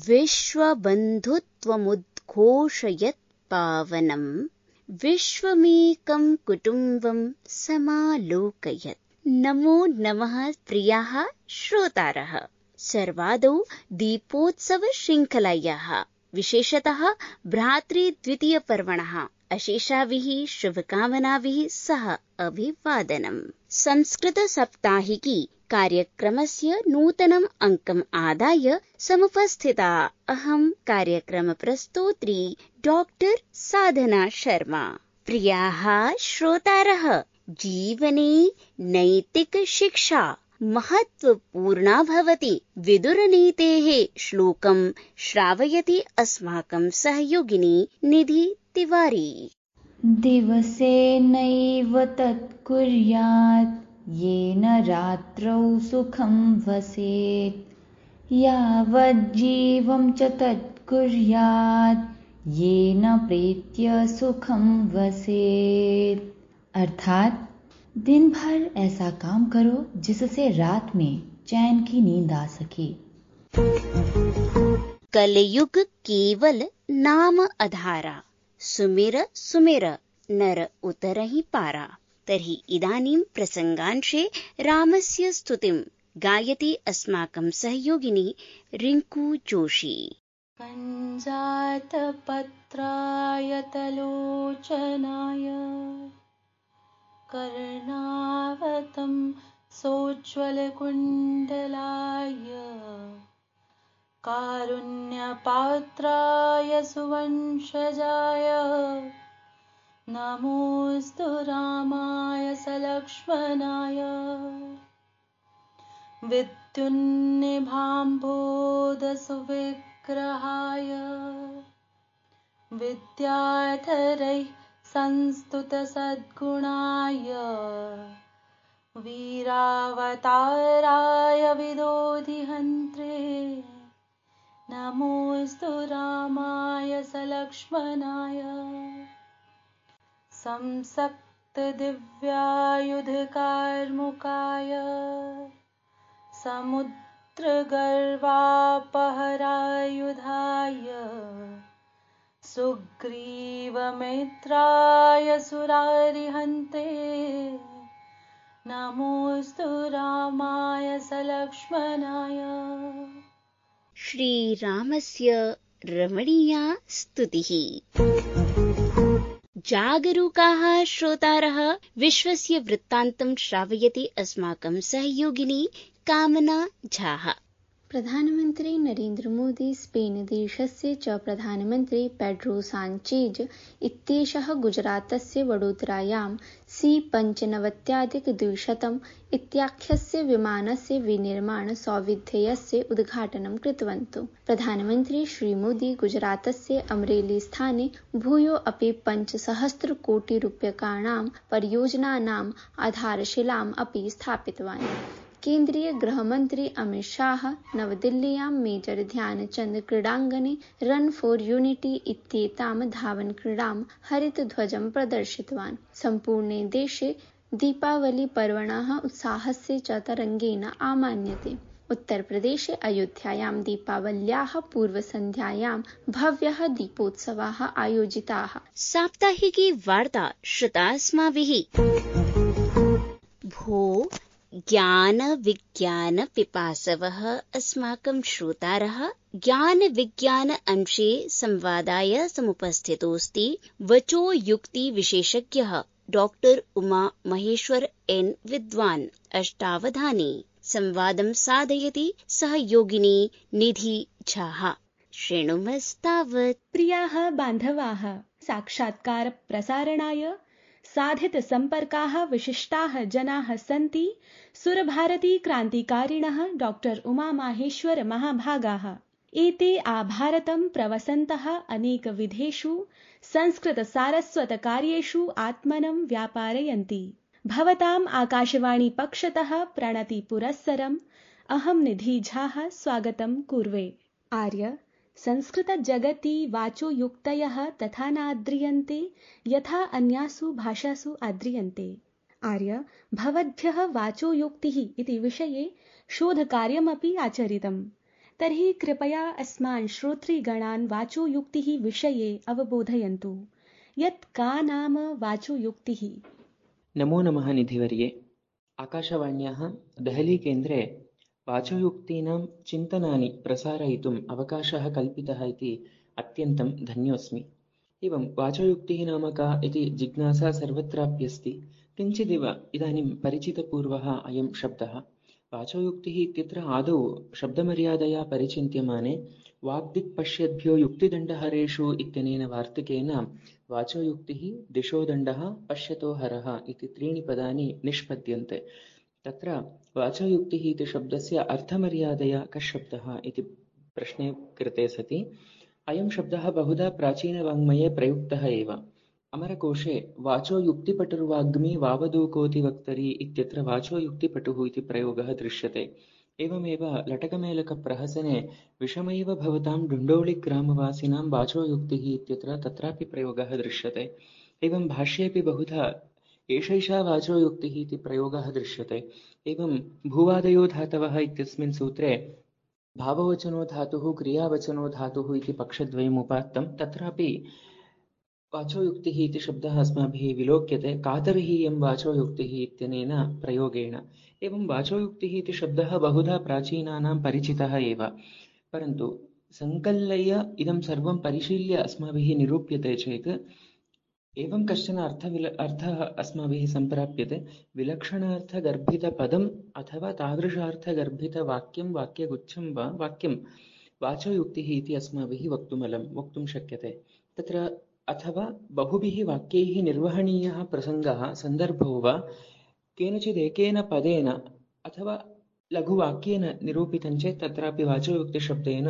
विश्वबन्धुत्वमुद्घोषयत् पावनम् विश्वमेकं कुटुम्बं समालोकयत्। नमो नमः प्रियाः श्रोतारः। सर्वादौ दीपोत्सवशृङ्खलायाः विशेषतः भ्रातृद्वितीयपर्वणः अशेषाभिः शुभकामनाभिः सह अभिवादनम्। संस्कृतसाप्ताहिकी कार्यक्रमस्य नूतनम् अङ्कम् आदाय समुपस्थिता अहं कार्यक्रमप्रस्तोत्री डॉक्टर साधना शर्मा। प्रियाः श्रोतारः, जीवने नैतिकशिक्षा महत्वपूर्णा भवति। विदुरनीतेः श्लोकं श्रावयति अस्माकं सहयोगिनी निधि तिवारी। दिवसेनैव तत्कुर्यात् येन रात्रौ सुखं वसेत्, यावज्जीवं च तत्कुर्यात् येन प्रीत्य सुखं वसेत्। अर्थात दिन भर ऐसा काम करो जिससे रात में चैन की नींद आ सके। कलयुग केवल नाम अधारा, सुमिर सुमिर नर उतरहि पारा। तर्हि इदानीं प्रसंगांशे रामस्य स्तुतिं गायति अस्माकं सहयोगिनी रिंकू जोशी। कञ्जातपत्राय तलोचनाय कर्णावतं सोज्ज्वलकुण्डलाय कारुण्यपात्राय सुवंशजाय नमोऽस्तु रामाय सलक्ष्मणाय। विद्युन्निभाम्भोधसुविग्रहाय विद्याधरैः संस्तुतसद्गुणाय वीरावताराय विदोधिहन्त्रे नमोऽस्तु रामाय सलक्ष्मणाय। संसक्तदिव्यायुधकार्मुकाय समुद्रगर्वापहरायुधाय सुग्रीवमित्राय सुरारिहन्ते नमोऽस्तु रामाय सलक्ष्मणाय। श्रीरामस्य रमणीया स्तुतिः। जागरूकाः श्रोतारः, विश्वस्य वृत्तान्तं श्रावयति अस्माकं सहयोगिनी कामना झाः। प्रधानमन्त्री नरेन्द्र मोदी स्पेन् देशस्य च प्रधानमन्त्री पेड्रो साञ्चेज इत्येषः गुजरातस्य वडोदरायां C-95-200 इत्याख्यस्य विमानस्य विनिर्माण सौविध्यस्य उद्घाटनं कृतवन्तौ। प्रधानमन्त्री श्रीमोदी गुजरातस्य अमरेली स्थाने भूयो अपि 5,000 कोटिरूप्यकाणां परियोजनानाम् आधारशिलाम् अपि स्थापितवान्। केन्द्रीय गृहमन्त्री अमित शाह नवदिल्ल्यां मेजर ध्यानचन्द क्रीडाङ्गणे रन फॉर यूनिटी इत्येतां धावनक्रीडां हरितध्वजं प्रदर्शितवान्। सम्पूर्णे देशे दीपावलीपर्वणः उत्साहस्य च तरङ्गेन आमान्यते। उत्तरप्रदेशे अयोध्यायां दीपावल्याः पूर्वसन्ध्यायां भव्यः दीपोत्सवाः आयोजिताः। साप्ताहिकी वार्ता श्रुता अस्माभिः। भो ज्ञान विज्ञान पिपासवः अस्माकं श्रोतारः, ज्ञान विज्ञान अंशे संवादाय समुपस्थितोऽस्ति वचो युक्ति विशेषज्ञः डॉक्टर उमा महेश्वर एन विद्वान्। अष्टावधाने संवादं साधयति सहयोगिनी निधि झाः। शृणुमस्तावत्। प्रियाः बान्धवाः, साक्षात्कार प्रसारणाय साधित संपर्काः विशिष्टाः जनाः सन्ति सुरभारती क्रान्तिकारिणः डॉक्टर उमा माहेश्वर महाभागाः। एते आभारतं प्रवसन्तः अनेकविधेषु संस्कृत सारस्वत कार्येषु आत्मनं व्यापारयन्ति। भवताम् आकाशवाणी पक्षतः प्रणति पुरस्सरम् अहं निधि झाः स्वागतं कुर्वे। आर्य संस्कृत जगति वाचो युक्तयः तथा नाद्रियन्ते यथा अन्यासु भाषासु आद्रियन्ते। आर्य भवद्भ्यः वाचो युक्तिः इति विषये शोधकार्यमपि आचरितम्। तर्हि कृपया अस्मान् श्रोतृगणान् वाचोयुक्तिः विषये अवबोधयन्तु। यत् का नाम वाचोयुक्तिः? नमो नमः निधिवर्ये। आकाशवाण्याः देहलीकेन्द्रे वाचोयुक्तीनां चिन्तनानि प्रसारयितुम् अवकाशः कल्पितः इति अत्यन्तं धन्योऽस्मि। एवं वाचोयुक्तिः नाम का इति जिज्ञासा सर्वत्राप्यस्ति। किञ्चिदिव इदानीं परिचितपूर्वः अयं शब्दः। वाचोयुक्तिः इत्यत्र आदौ शब्दमर्यादया परिचिन्त्यमाने वाग्दिक्पश्यद्भ्यो युक्तिदण्डहरेषु इत्यनेन वार्तिकेन वाचोयुक्तिः दिशोदण्डः पश्यतो हरः इति त्रीणि पदानि निष्पद्यन्ते। तत्र वाचोयुक्तिः इति शब्दस्य अर्थमर्यादया कः शब्दः इति प्रश्ने कृते सति अयं शब्दः बहुधा प्राचीनवाङ्मये प्रयुक्तः एव। अमरकोशे वाचोयुक्तिपटुर्वाग्मी वावदूकोतिवक्तरी इत्यत्र वाचोयुक्तिपटुः इति प्रयोगः दृश्यते। एवमेव लटकमेलकप्रहसने विषमैव भवतां डुण्डोळिग्रामवासिनां वाचोयुक्तिः इत्यत्र तत्रापि प्रयोगः दृश्यते। एवं भाष्येऽपि बहुधा एषैषा वाचोयुक्तिः इति प्रयोगः दृश्यते। एवं भूवादयो धातवः इत्यस्मिन् सूत्रे भाववचनो धातुः क्रियावचनो धातुः इति पक्षद्वयम् उपात्तं। तत्रापि वाचोयुक्तिः इति शब्दः अस्माभिः विलोक्यते कातर्हीयं वाचोयुक्तिः इत्यनेन प्रयोगेण। एवं वाचोयुक्तिः इति शब्दः बहुधा प्राचीनानां परिचितः एव, परन्तु सङ्कल्ल्य इदं सर्वं परिशील्य अस्माभिः निरूप्यते चेत् एवं कश्चन अर्थः अस्माभिः सम्प्राप्यते। विलक्षणार्थगर्भितपदम् अथवा तादृशार्थगर्भितवाक्यं वाक्यगुच्छं वा वाक्यं वाचोयुक्तिः इति अस्माभिः वक्तुं शक्यते। तत्र अथवा बहुभिः वाक्यैः निर्वहणीयः प्रसङ्गः सन्दर्भो वा केनचिदेकेन पदेन अथवा लघुवाक्येन निरूपितं चेत् तत्रापि वाचोयुक्तिशब्देन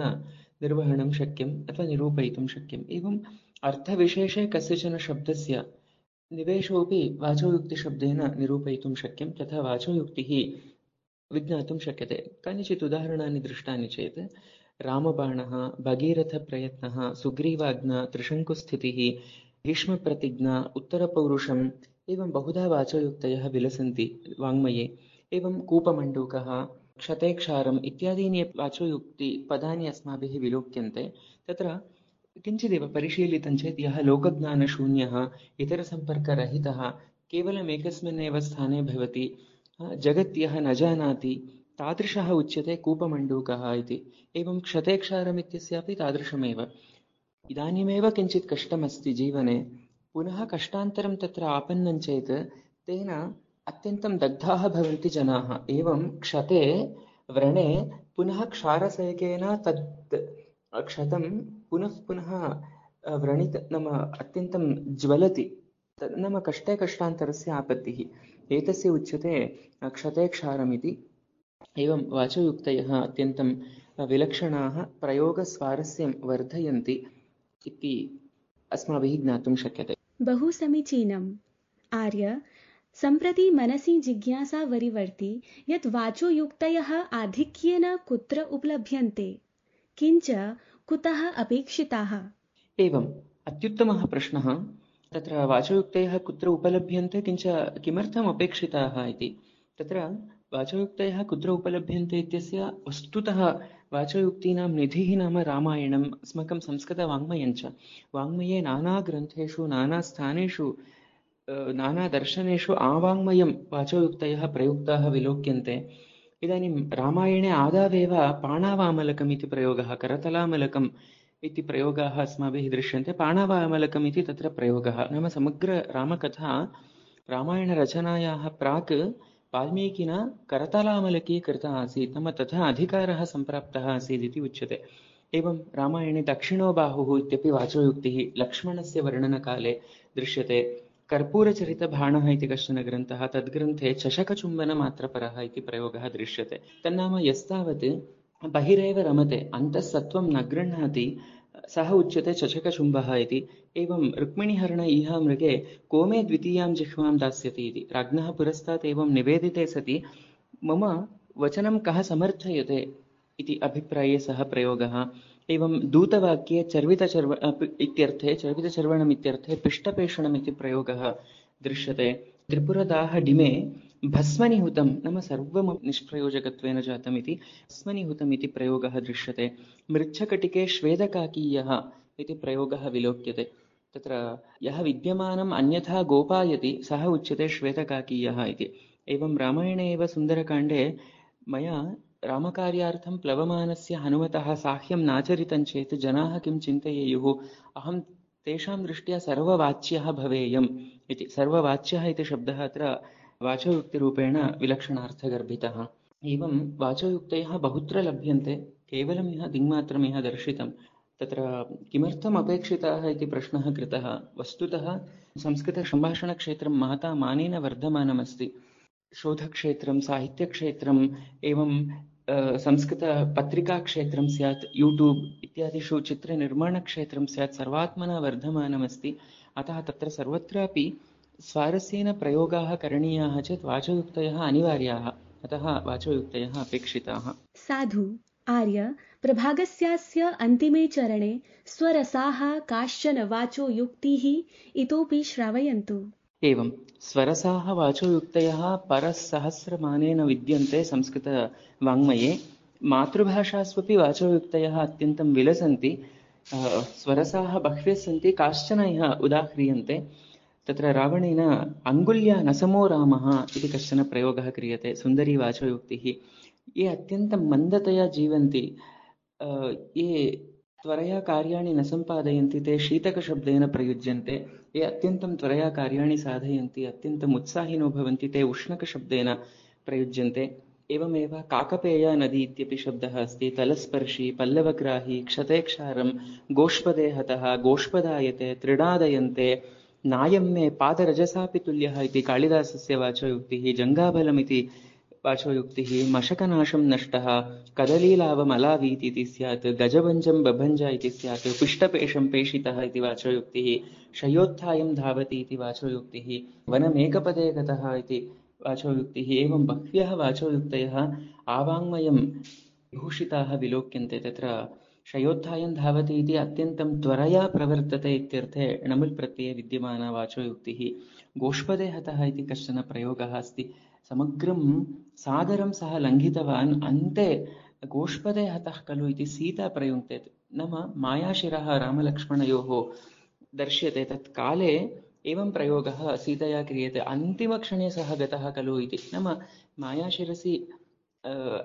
निर्वहणं शक्यम् अथवा निरूपयितुं शक्यम्। एवम् अर्थविशेषे कस्यचन शब्दस्य निवेशोऽपि वाचोयुक्तिशब्देन निरूपयितुं शक्यं, तथा वाचोयुक्तिः विज्ञातुं शक्यते। कानिचित् उदाहरणानि दृष्टानि चेत् रामबाणः, भगीरथप्रयत्नः, सुग्रीवाज्ञा, त्रिशङ्कुस्थितिः, भीष्मप्रतिज्ञा, उत्तरपौरुषम्, एवं बहुधा वाचोयुक्तयः विलसन्ति वाङ्मये। एवं कूपमण्डूकः, क्षतेक्षारम् इत्यादीनि वाचोयुक्तिपदानि अस्माभिः विलोक्यन्ते। तत्र किञ्चिदेव परिशीलितं चेत् यः लोकज्ञानशून्यः, इतरसम्पर्करहितः, केवलम् एकस्मिन्नेव स्थाने भवति, जगत् यः न जानाति, तादृशः उच्यते कूपमण्डूकः इति। एवं क्षतेक्षारम् इत्यस्यापि तादृशमेव। इदानीमेव किञ्चित् कष्टमस्ति जीवने, पुनः कष्टान्तरं तत्र आपन्नं चेत् तेन अत्यन्तं दग्धाः भवन्ति जनाः। एवं क्षते व्रणे पुनः क्षारसेकेन तत् क्षतं पुनः पुनः व्रणित नाम अत्यन्तं ज्वलति, नाम कष्टे कष्टान्तरस्य आपत्तिः। एतस्य उच्यते क्षते क्षारमिति। एवं वाचोयुक्तयः अत्यन्तं विलक्षणाः प्रयोगस्वारस्यं वर्धयन्ति इति अस्माभिः ज्ञातुं शक्यते। बहु समीचीनम् आर्य। सम्प्रति मनसि जिज्ञासा वरिवर्ति यत् वाचोयुक्तयः आधिक्येन कुत्र उपलभ्यन्ते, किञ्च कुतः अपेक्षिताः? एवम् अत्युत्तमः प्रश्नः। तत्र वाचोयुक्तयः कुत्र उपलभ्यन्ते, किञ्च किमर्थम् अपेक्षिताः इति। तत्र वाचोयुक्तयः कुत्र उपलभ्यन्ते इत्यस्य वस्तुतः वाचोयुक्तीनां निधिः नाम रामायणम्, अस्माकं संस्कृतवाङ्मयञ्च। वाङ्मये नानाग्रन्थेषु, नानास्थानेषु, नानादर्शनेषु आवाङ्मयं वाचोयुक्तयः प्रयुक्ताः विलोक्यन्ते। इदानीं रामायणे आदावेव पाणावामलकम् इति प्रयोगः, करतलामलकम् इति प्रयोगाः अस्माभिः दृश्यन्ते। पाणावामलकम् इति तत्र प्रयोगः, नाम समग्ररामकथा रामायणरचनायाः प्राक् वाल्मीकिना करतलामलकी कृता आसीत्, नाम तथा अधिकारः सम्प्राप्तः आसीत् इति उच्यते। एवं रामायणे दक्षिणो बाहुः इत्यपि वाचोयुक्तिः लक्ष्मणस्य वर्णनकाले दृश्यते। कर्पूरचरितभाणः इति कश्चन ग्रन्थः, तद्ग्रन्थे चषकचुम्बनमात्रपरः इति प्रयोगः दृश्यते। तन्नाम यस्तावत् बहिरेव रमते अन्तः सत्त्वं न गृह्णाति सः उच्यते चषकचुम्बः इति। एवं रुक्मिणीहरण इह मृगे को मे द्वितीयां जिह्वां दास्यति इति राज्ञः पुरस्तात् एवं निवेदिते सति मम वचनं कः समर्थयते इति अभिप्राये सः प्रयोगः। एवं दूतवाक्ये चर्वितचर्वणम् इत्यर्थे पिष्टपेषणम् इति प्रयोगः दृश्यते। त्रिपुरदाह डिमे भस्मनिहुतं नाम सर्वं निष्प्रयोजकत्वेन जातम् इति भस्मनिहुतम् इति प्रयोगः दृश्यते। मृच्छकटिके श्वेदकाकीयः इति प्रयोगः विलोक्यते। तत्र यः विद्यमानम् अन्यथा गोपायति सः उच्यते श्वेतकाकीयः इति। एवं रामायणे एव सुन्दरकाण्डे मया रामकार्यार्थं प्लवमानस्य हनुमतः साह्यं नाचरितं चेत् जनाः किं चिन्तयेयुः, अहं तेषां दृष्ट्या सर्ववाच्यः भवेयम् इति। सर्ववाच्यः इति शब्दः अत्र वाचोयुक्तिरूपेण विलक्षणार्थगर्भितः। एवं वाचोयुक्तयः बहुत्र लभ्यन्ते, केवलं यः दिङ्मात्रमिह दर्शितं। तत्र किमर्थम् अपेक्षिताः इति प्रश्नः कृतः। वस्तुतः संस्कृतसम्भाषणक्षेत्रं महता मानेन वर्धमानमस्ति। शोधक्षेत्रं, साहित्यक्षेत्रम्, एवं संस्कृतपत्रिकाक्षेत्रं स्यात्, यूट्यूब् इत्यादिषु चित्रनिर्माणक्षेत्रं स्यात्, सर्वात्मना वर्धमानमस्ति। अतः तत्र सर्वत्रापि स्वारस्येन प्रयोगाः करणीयाः चेत् वाचोयुक्तयः अनिवार्याः। अतः वाचोयुक्तयः अपेक्षिताः। साधु आर्य, प्रभागस्यास्य अन्तिमे चरणे स्वरसाः काश्चन वाचोयुक्तिः इतोपि श्रावयन्तु। एवं स्वरसाः वाचोयुक्तयः परसहस्रमानेन विद्यन्ते संस्कृतवाङ्मये। मातृभाषास्वपि वाचोयुक्तयः अत्यन्तं विलसन्ति। स्वरसाः बह्व्यः सन्ति, काश्चन इह उदाह्रियन्ते। तत्र रावणेन अङ्गुल्या न समो रामः इति कश्चन प्रयोगः क्रियते, सुन्दरी वाचोयुक्तिः। ये अत्यन्तं मन्दतया जीवन्ति, ये त्वरया कार्याणि न सम्पादयन्ति, ते शीतकशब्देन प्रयुज्यन्ते। ये अत्यन्तं त्वरया कार्याणि साधयन्ति, अत्यन्तम् उत्साहिनो भवन्ति, ते उष्णकशब्देन प्रयुज्यन्ते। एवमेव काकपेया नदी इत्यपि शब्दः अस्ति। तलस्पर्शी, पल्लवग्राही, क्षतेक्षारं, गोष्पदे हतः, गोष्पदायते, त्रिडादयन्ते, नायं मे पादरजसापि तुल्यः इति कालिदासस्य वाचोयुक्तिः। जङ्गाबलमिति वाचोयुक्तिः। मशकनाशं नष्टः, कदलीलावमलावीति इति स्यात्, गजभञ्जं बभञ्ज इति स्यात्, पिष्टपेशं पेशितः इति वाचोयुक्तिः। शयोत्थायं धावति इति वाचोयुक्तिः। वनमेकपदे गतः इति वाचोयुक्तिः। एवं बह्व्यः वाचोयुक्तयः आवाङ्मयं विभूषिताः विलोक्यन्ते। तत्र शयोत्थायं धावति इति अत्यन्तं त्वरया प्रवर्तते इत्यर्थे णमुल् प्रत्यये विद्यमाना वाचोयुक्तिः। गोष्पदे हतः इति कश्चन प्रयोगः अस्ति। समग्रं सागरं सः लङ्घितवान्, अन्ते गोष्पदे हतः खलु इति सीता प्रयुङ्क्ते। नाम मायाशिरः रामलक्ष्मणयोः दर्श्यते। तत्काले एवं प्रयोगः सीतया क्रियते, अन्तिमक्षणे सः गतः खलु इति। नाम मायाशिरसि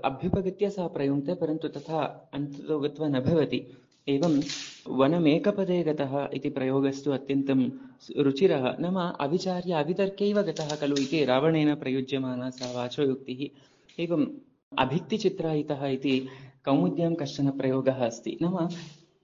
अभ्युपगत्य सः प्रयुङ्क्ते, परन्तु तथा अन्ततो गत्वा न भवति। एवं वनमेकपदे गतः इति प्रयोगस्तु अत्यन्तं रुचिरः। नाम अविचार्य अवितर्कैव गतः खलु इति रावणेन प्रयुज्यमाना सा वाचोयुक्तिः। एवम् अभित्तिचित्रायितः इति कौमुद्यां कश्चन प्रयोगः अस्ति। नाम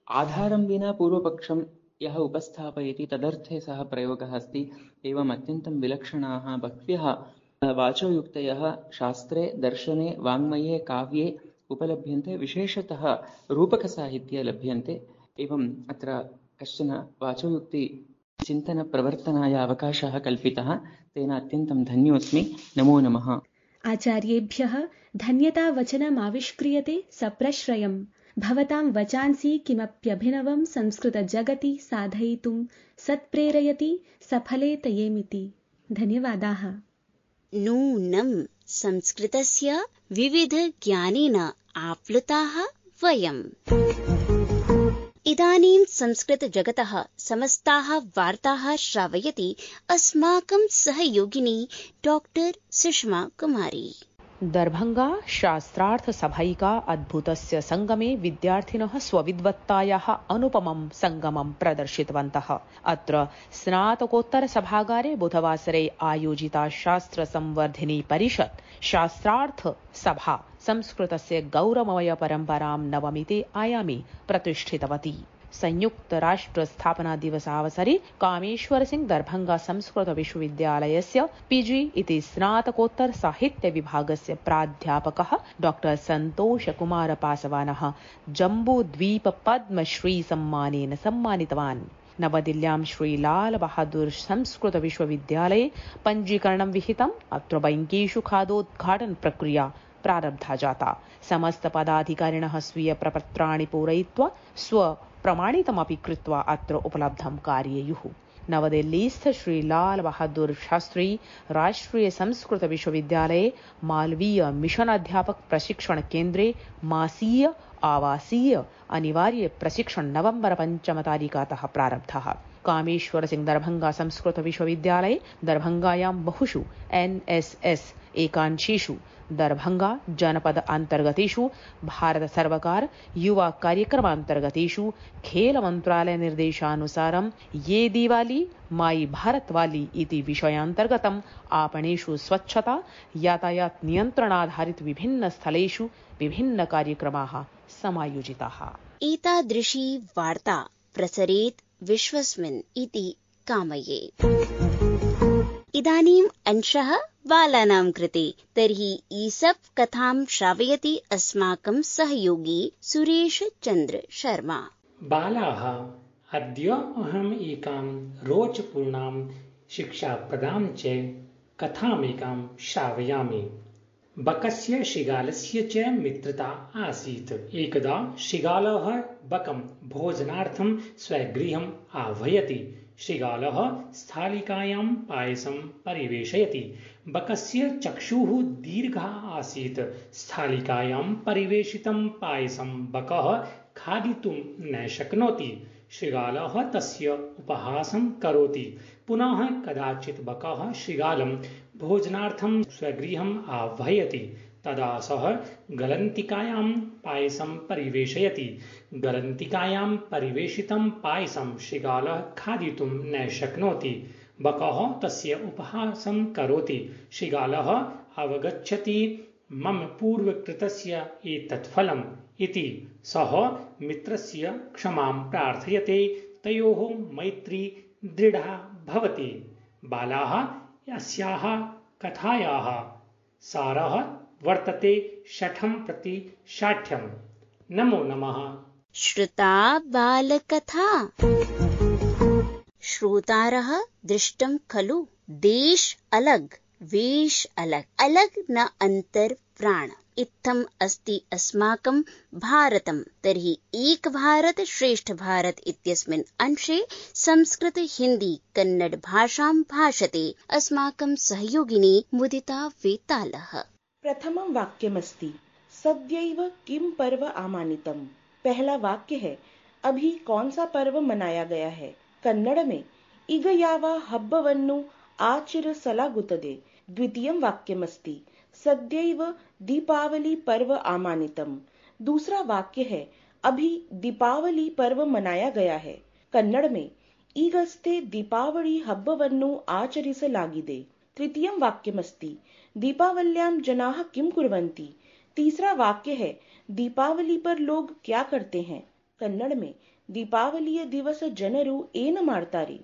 आधारं विना पूर्वपक्षं यः उपस्थापयति तदर्थे सः प्रयोगः अस्ति। एवम् अत्यन्तं विलक्षणाः बह्व्यः वाचोयुक्तयः शास्त्रे, दर्शने, वाङ्मये, काव्ये उपलभ्यन्ते। विशेषतः रूपकसाहित्ये लभ्यन्ते। एवम् अत्र कश्चन वाचोयुक्तिचिन्तनप्रवर्तनाय अवकाशः कल्पितः, तेन अत्यन्तं धन्योऽस्मि। नमो नमः। आचार्येभ्यः धन्यतावचनमाविष्क्रियते सप्रश्रयम्। भवतां वचांसि किमप्यभिनवं संस्कृतजगति साधयितुं सत्प्रेरयति सफलेतयेमिति। धन्यवादाः। नूनं संस्कृतस्य विविधज्ञानेन आप्लुताः वयम्। इदानीं संस्कृतजगतः समस्ताः वार्ताः श्रावयति अस्माकं सहयोगिनी डॉक्टर सुषमा कुमारी। दर्भङ्गा शास्त्रार्थ सभैका अद्भुतस्य संगमे विद्यार्थिनः स्वविद्वत्तायाः अनुपमं संगमं प्रदर्शितवन्तः। अत्र स्नातकोत्तर सभागारे बुधवासरे आयोजिता शास्त्र संवर्धिनी परिषत् शास्त्रार्थ सभा संस्कृतस्य गौरवमय परम्परां नवमिते आयामे प्रतिष्ठितवती। संयुक्त राष्ट्र स्थापना दिवसावसरे कामेश्वर सिंह दर्भङ्गा संस्कृत विश्वविद्यालयस्य पीजी इति स्नातकोत्तर साहित्य विभागस्य प्राध्यापकः डॉक्टर संतोष कुमार पासवानः जम्बूद्वीप पद्मश्री सम्मानेन सम्मानितवान्। नवदिल्ल्यां श्री लाल बहादुर संस्कृत विश्वविद्यालये पञ्जीकरणं विहितम्। अत्र बैंकेषु खादोद्घाटन प्रक्रिया प्रारब्धा जाता। समस्त पदाधिकारिणः स्वीय प्रपत्राणि पूरयित्वा स्वप्रमाणितमपि कृत्वा अत्र उपलब्धं कारयेयुः। नवदिल्लीस्थ श्री लाल बहादुर शास्त्री राष्ट्रीय संस्कृत विश्वविद्यालये मालवीय मिशन अध्यापक प्रशिक्षण केन्द्रे मासीय आवासीय अनिवार्य प्रशिक्षण नवंबर 5 तारिकातः प्रारब्धः। कामेश्वर सिंह दरभंगा संस्कृत विश्वविद्यालये दरभंगायां बहुषु NSS एकांशेषु दरभंगा जनपद अंतर्गतेषु भारत सर्वकार युवा कार्यक्रमांतर्गतेषु खेल मंत्रालय निर्देशानुसारं ये दिवाली माई भारत वाली इति विषयान्तर्गतम् आपणेषु स्वच्छता यातायात नियन्त्रणाधारित विभिन्न स्थलेषु विभिन्न कार्यक्रमाः समायोजिताः। एतादृशी वार्ता प्रसरेत् विश्वस्मिन् इति कामये। इदानीम् अंशः बालानां कृते। तर्हि ईसप् कथां श्रावयति अस्माकं सहयोगी सुरेश चन्द्र शर्मा। बालाः, अद्य अहम् एकां रोचपूर्णां शिक्षाप्रदां च कथामेकां श्रावयामि। बकस्य शृगालस्य च मित्रता आसीत्। एकदा शृगालः बकं भोजनार्थं स्वगृहम् आह्वयति। शृगालः स्थालिकायां पायसं परिवेशयति। बकस्य चक्षुः दीर्घः आसीत्। स्थालिकायां परिवेशितं पायसं बकः खादितुं न शक्नोति। शृगालः तस्य उपहासं करोति। पुनः कदाचित् बकः शृगालं भोजनार्थं स्वगृहम् आह्वयति। तदा सः गलन्तिकायां पायसं परिवेशयति। गलन्तिकायां परिवेशितं पायसं शृगालः खादितुं न शक्नोति। बकः तस्य उपहासं करोति। शृगालः अवगच्छति मम पूर्वकृतस्य एतत् फलम् इति। सः मित्रस्य क्षमां प्रार्थयते। तयोः मैत्री दृढा भवति। बालाः, अस्याः कथायाः सारः वर्तते शठं प्रति शाठ्यम्। नमो नमः। श्रुता बालकथा। श्रोतारः दृष्टं खलु, देश अलग वेश अलग, अलग न अंतर प्राण। इत्थम् अस्ति अस्माकं भारतं। तर्हि एक भारत श्रेष्ठ भारत इत्यस्मिन् अंशे संस्कृत हिंदी कन्नड भाषां भाषते अस्माकं सहयोगिनी मुदिता वेतालः। प्रथमं वाक्यमस्ति सद्यैव किम पर्व आमानितम्। पहला वाक्य है अभी कौन सा पर्व मनाया गया है। कन्नड़ में इग याव हब्बवन्नु आचरिಸಲಾಗುತ್ತದೆ। द्वितीयं वाक्यमस्ति सद्यैव दीपावली पर्व आमानितम्। दूसरा वाक्य है अभी दीपावली पर्व मनाया गया है। कन्नड़ में ಈಗಷ್ಟೇ दीपावली हब्बवन्नु आचरिಸಲಾಗಿದೆ। तृतीयं वाक्यमस्ति दीपावल्यां जनाः किं कुर्वन्ति। तीसरा वाक्य है दीपावली पर लोग क्या करते हैं। कन्नड़ में दीपावलिय दिवस जनरू ಏನ ಮಾಡ್ತಾರೆ।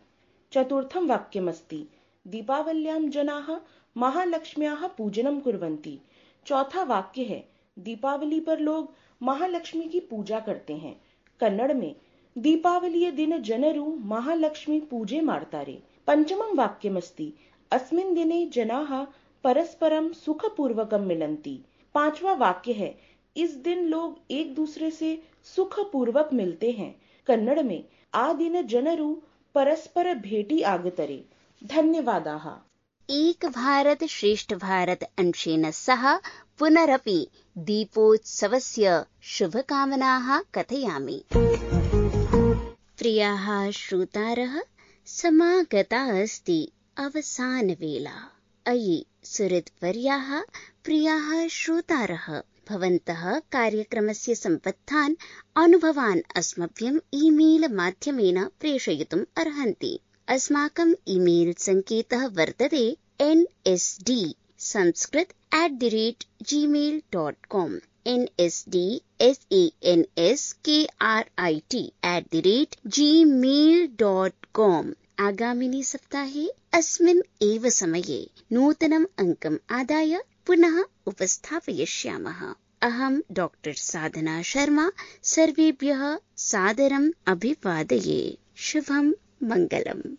चतुर्थं वाक्यमस्ति दीपावल्यां जनाः महालक्ष्म्याः पूजनं कुर्वन्ति। चौथा वाक्य है दीपावली पर लोग महालक्ष्मी की पूजा करते हैं। कन्नड़ में दीपावलिय दिन जनरू महालक्ष्मी पूजे ಮಾಡ್ತಾರೆ। पंचमं वाक्यमस्ति अस्मिन् दिने जनाः परस्परं सुखपूर्वकं मिलन्ति। पांचवा वाक्य है इस दिन लोग एक दूसरे से सुखपूर्वक मिलते हैं। कन्नड़ में आ दिन जनरू परस्पर भेटी आगतरे। धन्यवादाः। एक भारत श्रेष्ठ भारत अंशेन सह पुनरपि दीपोत्सवस्य शुभकामनाः कथयामि। प्रियाः श्रोतारः, समागता अस्ति अवसानवेला। अयि सुहृद्वर्याः, प्रियाः श्रोतारः, भवन्तः कार्यक्रमस्य सम्बद्धान् अनुभवान् अस्मभ्यं ईमेल माध्यमेन प्रेषयितुम् अर्हन्ति। अस्माकं ईमेल सङ्केतः वर्तते nsdsanskrit@gmail.com nsdsanskrit@gmail.com। आगामिनि सप्ताहे अस्मिन् एव समये नूतनम् अङ्कम् आदाय पुनः उपस्थापयिष्यामः। अहं डॉक्टर साधना शर्मा सर्वेभ्यः सादरम् अभिवादये। शुभं मंगलम्।